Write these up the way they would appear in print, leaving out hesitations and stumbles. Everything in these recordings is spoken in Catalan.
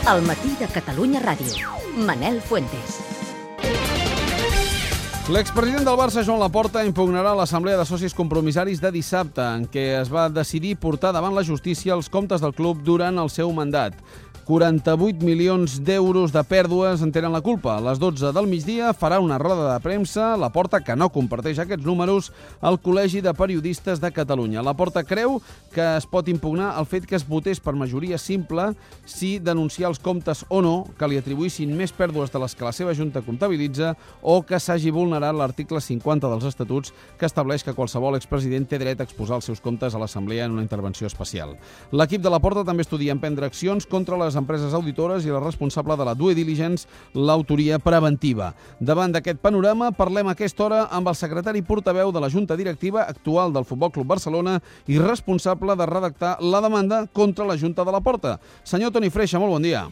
El matí de Catalunya Ràdio. Manel Fuentes. L'expresident del Barça, Joan Laporta, impugnarà l'assemblea de socis compromissaris de dissabte, en què es va decidir portar davant la justícia els comptes del club durant el seu mandat. 48 milions d'euros de pèrdues en tenen la culpa. A les 12 del migdia farà una roda de premsa. Laporta, que no comparteix aquests números, al Col·legi de Periodistes de Catalunya. Laporta creu que es pot impugnar el fet que es votés per majoria simple si denunciar els comptes o no, que li atribuïssin més pèrdues de les que la seva Junta comptabilitza, o que s'hagi vulnerat l'article 50 dels Estatuts, que estableix que qualsevol expresident té dret a exposar els seus comptes a l'Assemblea en una intervenció especial. L'equip de Laporta també estudia emprendre accions contra les empreses auditores i la responsable de la due diligence, l'autoria preventiva. Davant d'aquest panorama, parlem a aquesta hora amb el secretari portaveu de la Junta Directiva actual del Futbol Club Barcelona i responsable de redactar la demanda contra la Junta de Laporta. Senyor Toni Freixa, molt bon dia.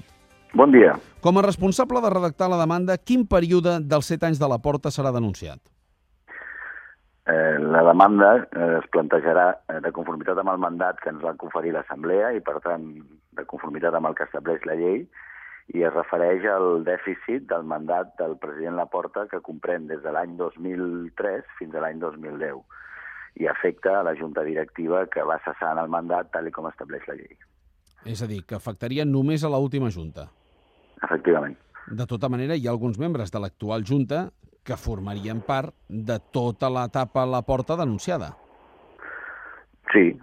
Bon dia. Com a responsable de redactar la demanda, quin període dels 7 anys de Laporta serà denunciat? La demanda es plantejarà de conformitat amb el mandat que ens va conferir l'Assemblea i, per tant, de conformitat amb el que estableix la llei, i es refereix al dèficit del mandat del president Laporta, que comprèn des de l'any 2003 fins a l'any 2010 i afecta a la Junta Directiva que va cessar en el mandat tal com estableix la llei. És a dir, que afectaria només a l'última Junta. Efectivament. De tota manera, hi ha alguns membres de l'actual Junta que formarien part de tota l'etapa a Laporta denunciada. Sí,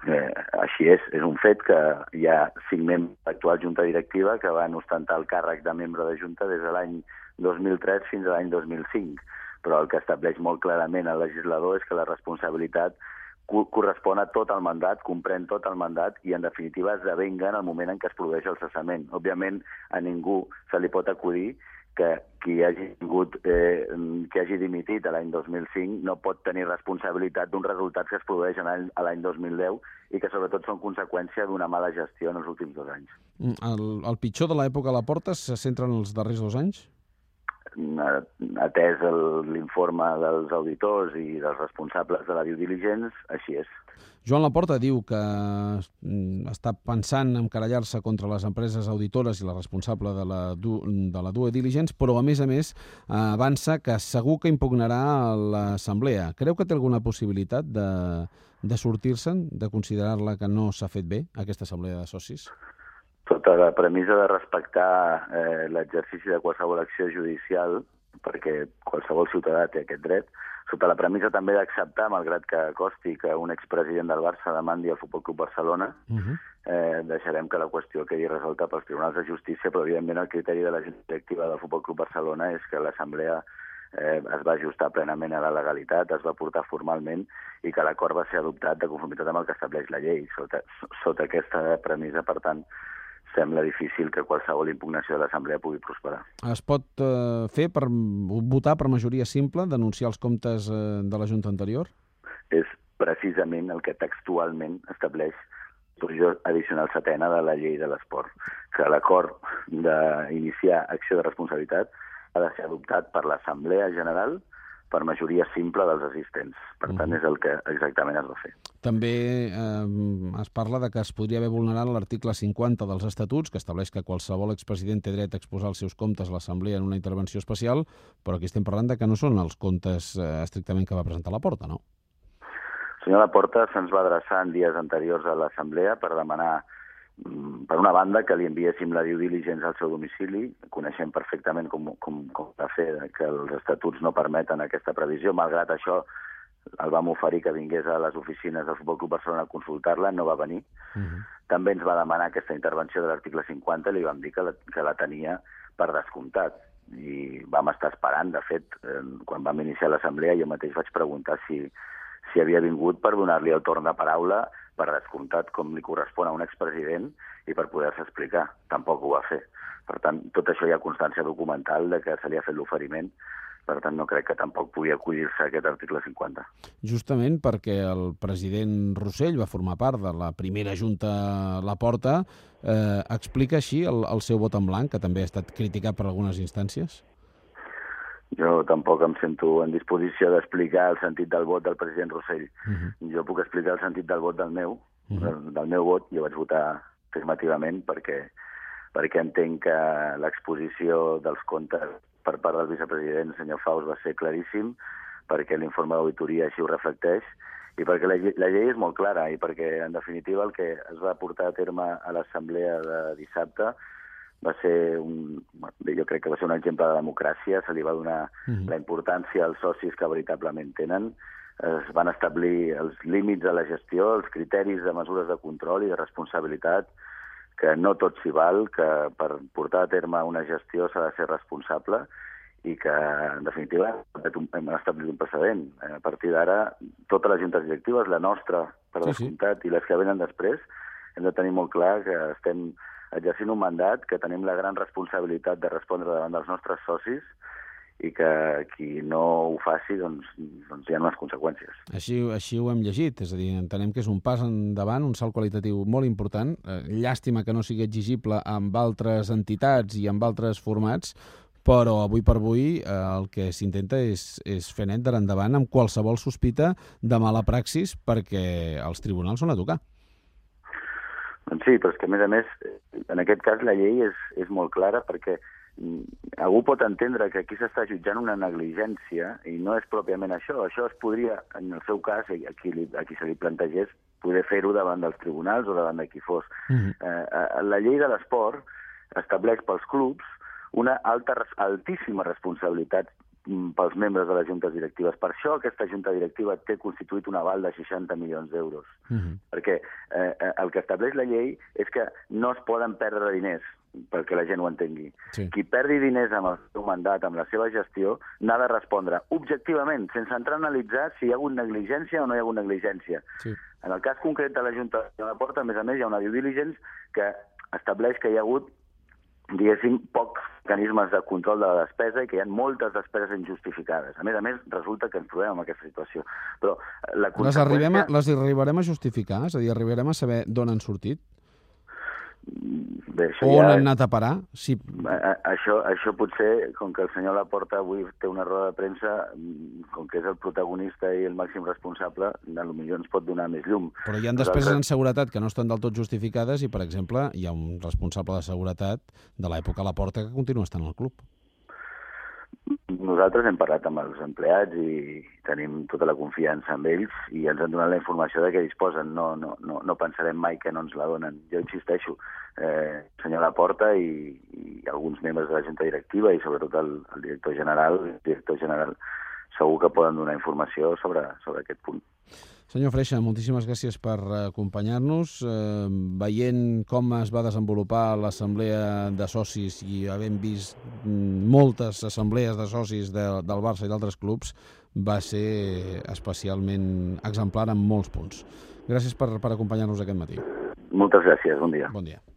així és. És un fet que hi ha 5 membres de l'actual Junta Directiva que van ostentar el càrrec de membre de Junta des de l'any 2003 fins a l'any 2005. Però el que estableix molt clarament el legislador és que la responsabilitat correspon a tot el mandat, comprèn tot el mandat i, en definitiva, esdevenga en el moment en què es produeix el cessament. Òbviament, a ningú se li pot acudir que qui hagi dimitit l'any 2005 no pot tenir responsabilitat d'uns resultats que es produeixen a l'any 2010 i que, sobretot, són conseqüència d'una mala gestió en els últims 2 anys. El pitjor de l'època Laporta se centra en els darrers 2 anys? Atès l'informe dels auditors i dels responsables de la due diligence, així és. Joan Laporta diu que està pensant en querellar-se contra les empreses auditores i la responsable de la due diligence, però, a més, avança que segur que impugnarà a l'Assemblea. Creu que té alguna possibilitat de sortir-se'n, de considerar-la que no s'ha fet bé, aquesta assemblea de socis? Sota la premissa de respectar l'exercici de qualsevol acció judicial, perquè qualsevol ciutadà té aquest dret, sota la premissa també d'acceptar, malgrat que costi que un expresident del Barça demandi al Futbol Club Barcelona, deixarem que la qüestió quedi resolta pels tribunals de justícia, però evidentment el criteri de la Junta Directiva del Futbol Club Barcelona és que l'Assemblea es va ajustar plenament a la legalitat, es va portar formalment i que l'acord va ser adoptat de conformitat amb el que estableix la llei. Sota aquesta premissa, per tant, sembla difícil que qualsevol impugnació de l'Assemblea pugui prosperar. Es pot votar per majoria simple, denunciar els comptes de la Junta anterior? És precisament el que textualment estableix la disposició addicional 7ª de la llei de l'esport, que l'acord d'iniciar acció de responsabilitat ha de ser adoptat per l'Assemblea General per majoria simple dels assistents. Per tant, és el que exactament es va fer. També es parla de que es podria haver vulnerat l'article 50 dels Estatuts, que estableix que qualsevol expresident té dret a exposar els seus comptes a l'Assemblea en una intervenció especial, però aquí estem parlant de que no són els comptes estrictament que va presentar Laporta, no? El senyor Laporta se'ns va adreçar en dies anteriors a l'Assemblea per demanar, per una banda, que li enviéssim la due diligence al seu domicili. Coneixem perfectament com va fer que els estatuts no permeten aquesta previsió. Malgrat això, el vam oferir que vingués a les oficines del Futbol Club Barcelona a consultar-la, no va venir. També ens va demanar aquesta intervenció de l'article 50 i li vam dir que la tenia per descomptat. I vam estar esperant. De fet, quan vam iniciar l'assemblea, jo mateix vaig preguntar si havia vingut per donar-li el torn de paraula, per descomptat, com li correspon a un expresident, i per poder-se explicar. Tampoc ho va fer. Per tant, tot això hi ha constància documental de que se li ha fet l'oferiment. Per tant, no crec que tampoc pugui acollir-se a aquest article 50. Justament perquè el president Rossell va formar part de la primera Junta Laporta, explica així el seu vot en blanc, que també ha estat criticat per algunes instàncies? Jo tampoc em sento en disposició d'explicar el sentit del vot del president Rossell. Jo puc explicar el sentit del vot del meu vot. Jo vaig votar afirmativament perquè perquè entenc que l'exposició dels comptes per part del vicepresident, senyor Faus, va ser claríssim, perquè l'informe d'auditoria així ho reflecteix, i perquè la llei és molt clara, i perquè, en definitiva, el que es va portar a terme a l'assemblea de dissabte va ser jo crec que va ser un exemple de democràcia, se li va donar la importància als socis que veritablement tenen, es van establir els límits de la gestió, els criteris de mesures de control i de responsabilitat, que no tot s'hi val, que per portar a terme una gestió s'ha de ser responsable i que, en definitiva, hem establit un precedent. A partir d'ara, totes les juntes directives, la nostra, per descomptat, i les que venen després, hem de tenir molt clar que estem exercint un mandat, que tenim la gran responsabilitat de respondre davant dels nostres socis i que qui no ho faci, doncs hi ha unes conseqüències. Així ho hem llegit, és a dir, entenem que és un pas endavant, un salt qualitatiu molt important. Llàstima que no sigui exigible amb altres entitats i amb altres formats, però avui per avui el que s'intenta és fer net d'ara endavant amb qualsevol sospita de mala praxis, perquè els tribunals són a tocar. Doncs sí, però és que, a més, en aquest cas la llei és molt clara, perquè algú pot entendre que aquí s'està jutjant una negligència i no és pròpiament això. Això es podria, en el seu cas, a qui se li plantegés, poder fer-ho davant dels tribunals o davant de qui fos. La llei de l'esport estableix pels clubs una altíssima responsabilitat pels membres de les juntes directives. Per això aquesta junta directiva té constituït un aval de 60 milions d'euros. Perquè el que estableix la llei és que no es poden perdre diners, perquè la gent ho entengui. Qui perdi diners amb el seu mandat, amb la seva gestió, n'ha de respondre objectivament, sense entrar a analitzar si hi ha hagut negligència o no hi ha hagut negligència. En el cas concret de la Junta de Port, a més, hi ha una due diligence que estableix que hi ha hagut, diguéssim, pocs mecanismes de control de la despesa i que hi ha moltes despeses injustificades. A més, resulta que ens trobem en aquesta situació. Però la conseqüència... Les arribarem a justificar? És a dir, arribarem a saber d'on han sortit? Bé, o on han anat a parar? Sí. Això potser, com que el senyor Laporta avui té una roda de premsa, com que és el protagonista i el màxim responsable, potser ens pot donar més llum. Però hi ha despeses en seguretat que no estan del tot justificades i, per exemple, hi ha un responsable de seguretat de l'època Laporta que continua estant al club. Nosaltres hem parlat amb els empleats i tenim tota la confiança en ells i ens han donat la informació de què disposen. No pensarem mai que no ens la donen. Jo insisteixo, senyor Laporta i alguns membres de la junta directiva i sobretot el director general segur que poden donar informació sobre aquest punt. Senyor Freixa, moltíssimes gràcies per acompanyar-nos. Veient com es va desenvolupar l'assemblea de socis i havent vist moltes assemblees de socis del Barça i d'altres clubs, va ser especialment exemplar en molts punts. Gràcies per acompanyar-nos aquest matí. Moltes gràcies, bon dia. Bon dia.